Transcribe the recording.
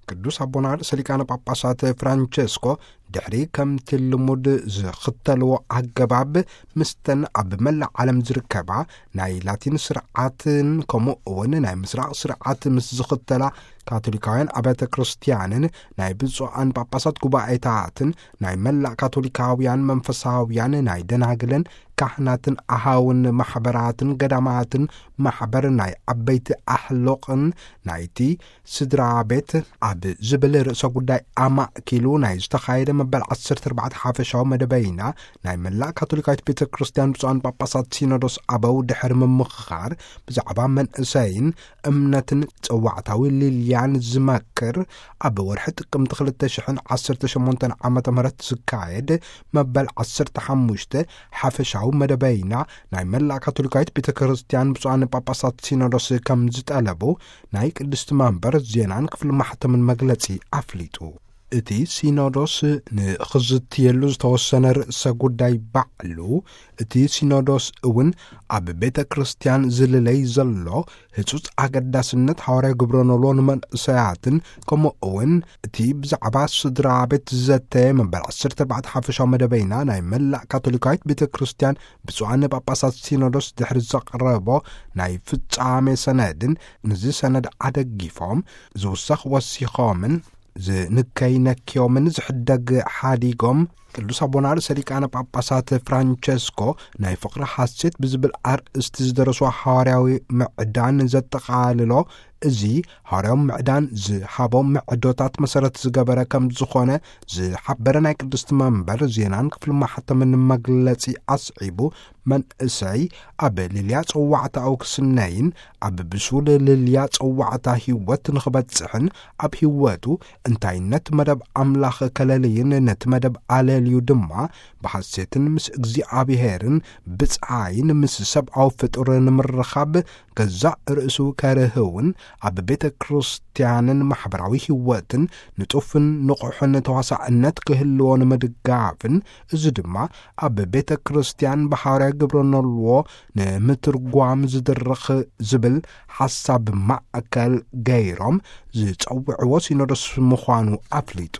ቅዱስ ኣቦና ርእሰ ሊቃነ ጳጳሳት ፍራንቸስኮ ድሕሪ ከምቲ ልሙድ ዝኽተልዎ ኣገባብ፣ ምስተን ኣብ መላእ ዓለም ዝርከባ ናይ ላቲን ስርዓትን ከምኡ እውን ናይ ምስራቕ ስርዓት ምስ ዝኽተላ ካቶሊካውያን ኣብያተ ክርስቲያንን ናይ ብፁዓን ጳጳሳት ጉባኤታትን ናይ መላእ ካቶሊካውያን መንፈሳውያን ናይ ደናግልን ካህናትን ኣሃውን ማሕበራትን ገዳማትን ማሕበር ናይ ዓበይቲ ኣሕሎቕን ናይቲ ስድራ ቤት ኣብ ዝብል ርእሰ ጉዳይ ኣማእኪሉ ናይ ዝተኻየደ መበል ዓሰርተ ኣርባዕተ ሓፈሻዊ መደበይና ናይ መላእ ካቶሊካዊት ቤተ ክርስቲያን ብፁዓን ጳጳሳት ሲኖዶስ ኣበው ድሕሪ ምምኽኻር ብዛዕባ መንእሰይን እምነትን ጸዋዕታዊ ልልያን ዝመክር ኣብ ወርሒ ጥቅምቲ ክልተ ሽሕን ዓሰርተ ሸሞንተን ዓመተ ምህረት ዝካየድ መበል ዓሰርተ ሓሙሽተ ሓፈሻዊ መደበይና ናይ መላእ ካቶሊካዊት ቤተ ክርስቲያን ብፁዓን ጳጳሳት ሲኖዶስ ከም ዝጠለቡ ናይ ቅድስቲ መንበር ዜናን ክፍሊ ማሕተምን መግለጺ ኣፍሊጡ። እቲ ሲኖዶስ ንኽዝትየሉ ዝተወሰነ ርእሰ ጉዳይ ባዕሉ፣ እቲ ሲኖዶስ እውን ኣብ ቤተ ክርስቲያን ዝልለይ ዘሎ ህጹጽ ኣገዳስነት ሃዋርያ ግብረ ኖልዎ ንመንእሰያትን፣ ከምኡ እውን እቲ ብዛዕባ ስድራ ቤት ዝዘተየ መበል ዓሰርተ ኣርባዕተ ሓፈሻዊ መደበይና ናይ መላእ ካቶሊካዊት ቤተ ክርስቲያን ብፁዓን ጳጳሳት ሲኖዶስ ድሕሪ ዘቕረቦ ናይ ፍጻሜ ሰነድን፣ ነዚ ሰነድ ኣደጊፎም ዝውሰኽ ወሲኾምን ዝንከይ ነክዮምን ዝሕደግ ሓዲጎም፣ ቅዱስ ኣቦና ርእሰ ሊቃነ ጳጳሳት ፍራንቸስኮ ናይ ፍቕሪ ሓሴት ብዝብል ኣርእስቲ ዝደረስዎ ሓዋርያዊ ምዕዳን ዘጠቓልሎ፣ እዚ ሃዋርያዊ ምዕዳን ዝሃቦም ምዕዶታት መሰረት ዝገበረ ከም ዝኾነ ዝሓበረ ናይ ቅድስቲ መንበር ዜናን ክፍሊ ማሕተምን መግለጺ ኣስዒቡ፣ መንእሰይ ኣብ ልልያ ጸዋዕታኡ ክስነይን ኣብ ብሱል ልልያ ጸዋዕታ ህይወት ንኽበጽሕን፣ ኣብ ህይወቱ እንታይነት መደብ ኣምላኽ ከለልይን ነቲ መደብ ኣለልዩ ድማ ብሓሴትን ምስ እግዚኣብሔርን ብጻይን ምስ ሰብኣዊ ፍጡር ንምርኻብ ገዛእ ርእሱ ከርህውን ኣብ ቤተ ክርስቲያንን ማሕበራዊ ህይወትን ንጡፍን ንቑሕን ተዋሳእነት ክህልዎ ንምድጋፍን፣ እዚ ድማ ኣብ ቤተ ክርስቲያን ብሓዋርያ ግብረ ኖልዎ ንምትርጓም ዝድርኽ ዝብል ሓሳብ ማእከል ገይሮም ዝጸውዕዎ ሲኖዶስ ምዃኑ ኣፍሊጡ።